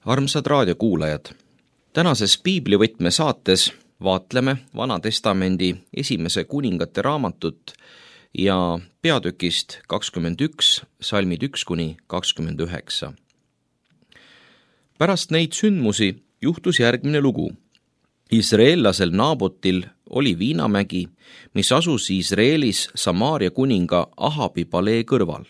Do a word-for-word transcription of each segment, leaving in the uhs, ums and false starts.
Armsad raadiokuulajad, tänases piiblivõtme saates vaatleme Vana Testamendi esimese kuningate raamatut ja peatükist kakskümmend üks, salmid üks kuni kakskümmend üheksa. Pärast neid sündmusi juhtus järgmine lugu. Iisraellasel Naabotil oli viinamägi, mis asus Iisraelis Samaaria kuninga Ahabi palee kõrval.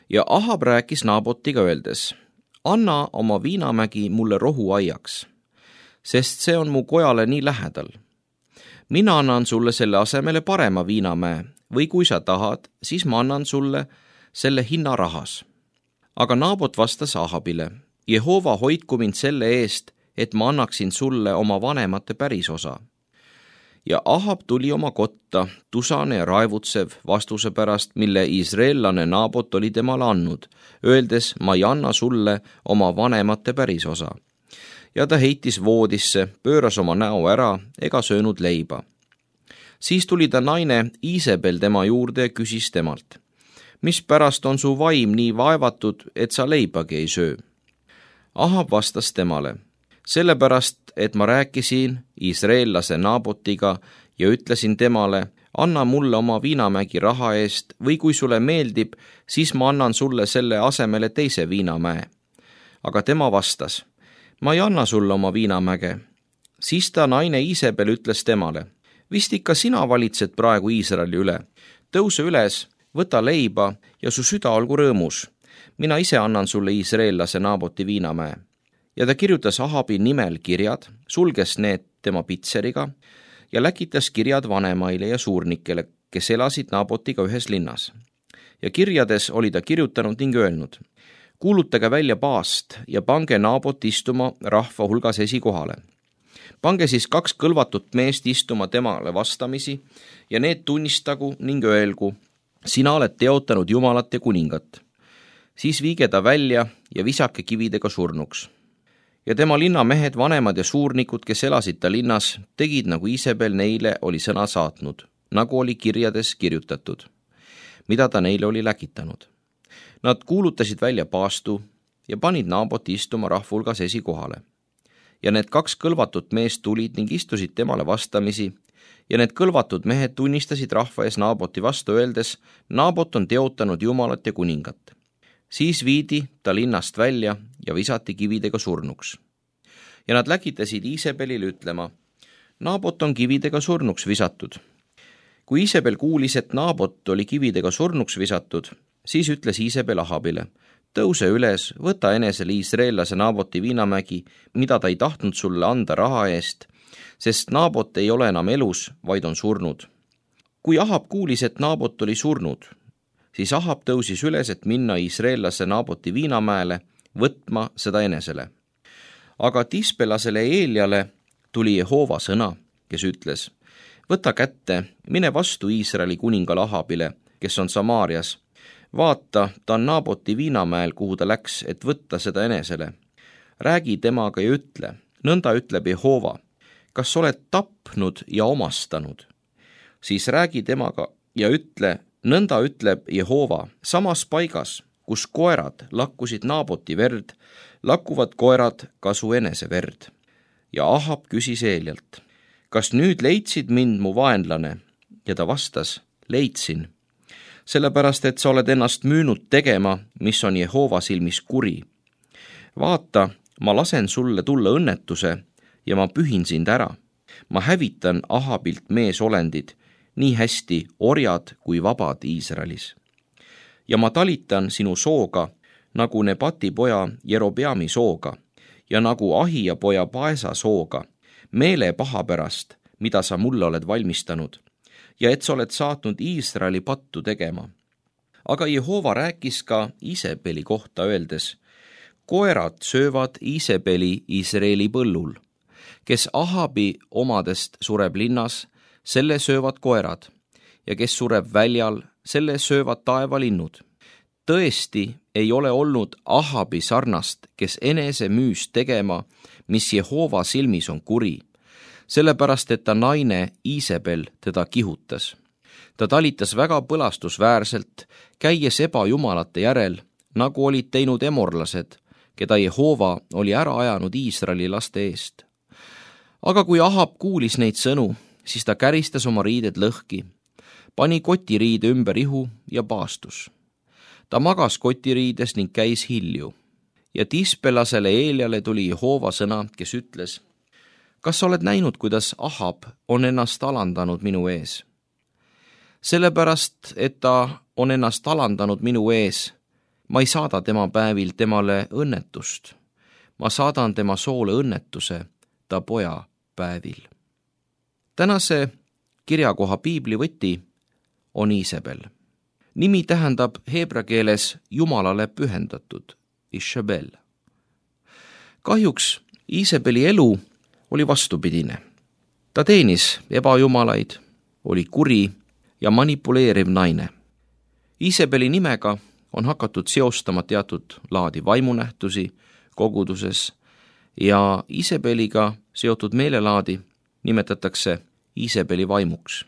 Ja Ahab rääkis Naabotiga öeldes: anna oma viinamägi mulle rohuaiaks, sest see on mu kojale nii lähedal. Mina annan sulle selle asemele parema viinamäe, või kui sa tahad, siis ma annan sulle selle hinna rahas. Aga Naabot vastas Ahabile: Jehova hoidku mind selle eest, et ma annaksin sulle oma vanemate pärisosa. Ja Ahab tuli oma kotta, tusane ja raevutsev vastuse pärast, mille iisraellane Naabot oli temale andnud, öeldes: ma ei anna sulle oma vanemate pärisosa. Ja ta heitis voodisse, pööras oma näo ära ega söönud leiba. Siis tuli ta naine Iisebel tema juurde ja küsis temalt: mispärast on su vaim nii vaevatud, et sa leibagi ei söö? Ahab vastas temale: sellepärast, et ma rääkisin iisraellase Naabotiga ja ütlesin temale: anna mulle oma viinamägi raha eest, või kui sulle meeldib, siis ma annan sulle selle asemele teise viinamäe. Aga tema vastas: ma ei anna sulle oma viinamäge. Siis ta naine Iisebel ütles temale: vist ikka sina valitsed praegu Iisraeli üle. Tõuse üles, võta leiba ja su süda olgu rõõmus. Mina ise annan sulle iisraellase Naaboti viinamäe. Ja ta kirjutas Ahabi nimel kirjad, sulges need tema pitseriga ja läkitas kirjad vanemaile ja suurnikele, kes elasid Naabotiga ühes linnas. Ja kirjades oli ta kirjutanud ning öelnud: kuulutage välja paast ja pange Naabot istuma rahva hulgas esikohale. Pange siis kaks kõlvatut meest istuma temale vastamisi ja need tunnistagu ning öelgu: sina oled teotanud Jumalat ja kuningat. Siis viige ta välja ja visake kividega surnuks. Ja tema linnamehed, vanemad ja suurnikud, kes elasid ta linnas, tegid nagu Iisebel neile oli sõna saatnud, nagu oli kirjades kirjutatud, mida ta neile oli läkitanud. Nad kuulutasid välja paastu ja panid Naaboti istuma rahvulgas esikohale. Ja need kaks kõlvatut meest tulid ning istusid temale vastamisi, ja need kõlvatud mehed tunnistasid rahva ees Naaboti vastu, öeldes: Naabot on teotanud Jumalat ja kuningat. Siis viidi ta linnast välja ja visati kividega surnuks. Ja nad läkitasid Iisebelile ütlema: Naabot on kividega surnuks visatud. Kui Iisebel kuulis, et Naabot oli kividega surnuks visatud, siis ütles Iisebel Ahabile: tõuse üles, võta enesele iisraellase Naaboti viinamägi, mida ta ei tahtnud sulle anda raha eest, sest Naabot ei ole enam elus, vaid on surnud. Kui Ahab kuulis, et Naabot oli surnud, siis Ahab tõusis üles, et minna iisraellase Naaboti viinamäele, võtma seda enesele. Aga Tispelasele Eeliale tuli Jehova sõna, kes ütles: võta kätte, mine vastu Iisraeli kuningale Ahabile, kes on Samaarias. Vaata, ta on Naaboti viinamäel, kuhu ta läks, et võtta seda enesele. Räägi temaga ja ütle: nõnda ütleb Jehova, kas oled tapnud ja omastanud? Siis räägi temaga ja ütle: nõnda ütleb Jehova, samas paigas, kus koerad lakkusid Naaboti verd, lakkuvad koerad ka su enese verd. Ja Ahab küsis Eelialt: kas nüüd leidsid mind mu vaenlane? Ja ta vastas: leidsin, sellepärast et sa oled ennast müünud tegema, mis on Jehova silmis kuri. Vaata, ma lasen sulle tulla õnnetuse ja ma pühin sind ära. Ma hävitan Ahabilt meesolendid, nii hästi orjad kui vabad Iisraelis. Ja ma talitan sinu sooga, nagu Nebati poja Jerobeami sooga ja nagu Ahija poja Paesa sooga, meele paha pärast, mida sa mulle oled valmistanud, ja et sa oled saatnud Iisraeli pattu tegema. Aga Jehova rääkis ka Iisebeli kohta, öeldes: koerad söövad Iisebeli Iisraeli põllul. Kes Ahabi omadest sureb linnas, selle söövad koerad, ja kes sureb väljal, selle söövad taevalinnud. Tõesti ei ole olnud Ahabi sarnast, kes enese müüs tegema, mis Jehova silmis on kuri, sellepärast et ta naine Iisebel teda kihutas. Ta talitas väga põlastusväärselt, käies ebajumalate järel, nagu olid teinud emorlased, keda Jehova oli ära ajanud Iisraeli laste eest. Aga kui Ahab kuulis neid sõnu, siis ta käristas oma riided lõhki, pani kotiriide ümber ihu ja paastus. Ta magas kotiriides ning käis hilju. Ja Tispelasele Eeliale tuli Jehova sõna, kes ütles: kas sa oled näinud, kuidas Ahab on ennast alandanud minu ees? Sellepärast, et ta on ennast alandanud minu ees, ma ei saada tema päevil temale õnnetust. Ma saadan tema soole õnnetuse ta poja päevil. Tänase kirjakoha piiblivõti on Iisabel. Nimi tähendab heebra keeles Jumalale pühendatud, Ishabel. Kahjuks Iisabeli elu oli vastupidine. Ta teenis ebajumalaid, oli kuri ja manipuleeriv naine. Iisabeli nimega on hakatud seostama teatud laadi vaimunähtusi koguduses ja Iisabeliga seotud meelelaadi nimetatakse Iisabeli vaimuks.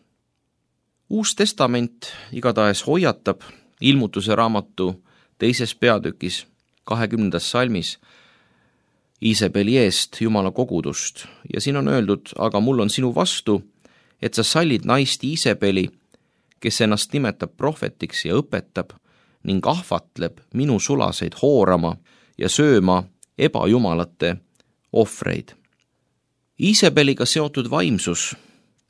Uus testament igatahes hoiatab Ilmutuse raamatu teises peatükis kahekümnendas salmis Iisabeli eest Jumala kogudust ja siin on öeldud: aga mul on sinu vastu, et sa sallid naist Iisabeli, kes ennast nimetab prohvetiks ja õpetab ning ahvatleb minu sulaseid hoorama ja sööma ebajumalate ohvreid. Iisabeliga seotud vaimsus,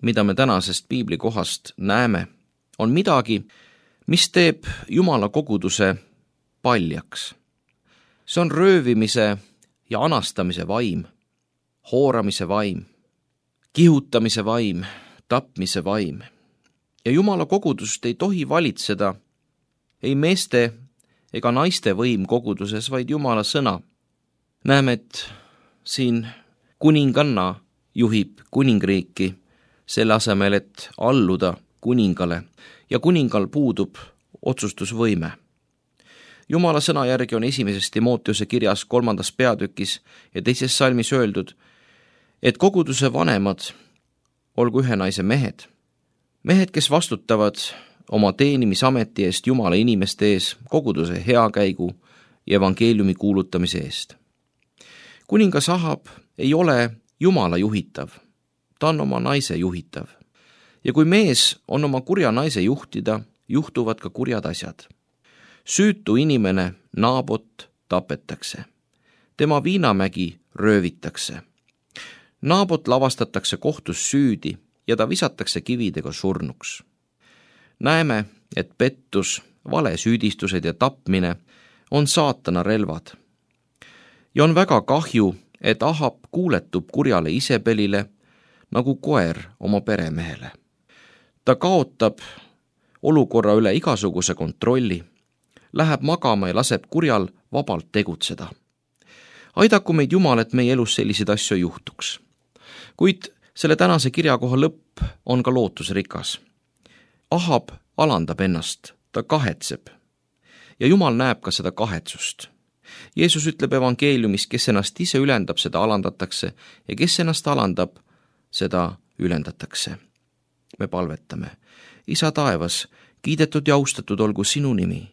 mida me tänasest piiblikohast näeme, on midagi, mis teeb Jumala koguduse paljaks. See on röövimise ja anastamise vaim, hooramise vaim, kihutamise vaim, tapmise vaim. Ja Jumala kogudust ei tohi valitseda ei meeste ega naiste võim koguduses, vaid Jumala sõna. Näeme, et siin kuninganna juhib kuningriiki selle asemel, et alluda kuningale ja kuningal puudub otsustusvõime. Jumala sõna järgi on esimeses Timoteuse kirjas kolmandas peatükis ja teises salmis öeldud, et koguduse vanemad olgu ühe naise mehed, mehed, kes vastutavad oma teenimisameti eest Jumala inimeste ees, koguduse heakäigu ja evangeeliumi kuulutamise eest. Kuningas Ahab ei ole Jumala juhitav, ta on oma naise juhitav. Ja kui mees on oma kurja naise juhtida, juhtuvad ka kurjad asjad. Süütu inimene Naabot tapetakse. Tema viinamägi röövitakse. Naabot lavastatakse kohtus süüdi ja ta visatakse kividega surnuks. Näeme, et pettus, valesüüdistused ja tapmine on saatana relvad. Ja on väga kahju, et Ahab kuuletub kurjale Iisabelile nagu koer oma peremehele. Ta kaotab olukorra üle igasuguse kontrolli, läheb magama ja laseb kurjal vabalt tegutseda. Aidaku meid Jumal, et meie elus selliseid asju juhtuks. Kuid selle tänase kirjakoha lõpp on ka lootusrikas. Ahab alandab ennast, ta kahetseb. Ja Jumal näeb ka seda kahetsust. Jeesus ütleb evangeeliumis, kes ennast ise ülendab, seda alandatakse ja kes ennast alandab, seda ülendatakse. Me palvetame. Isa taevas, kiidetud ja austatud olgu sinu nimi.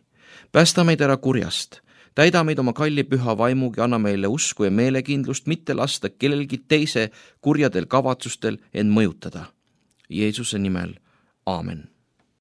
Päästa meid ära kurjast. Täida meid oma kalli püha vaimugi, anna meile usku ja meelekindlust, mitte lasta kellelgi teise kurjadel kavatsustel end mõjutada. Jeesuse nimel, aamen.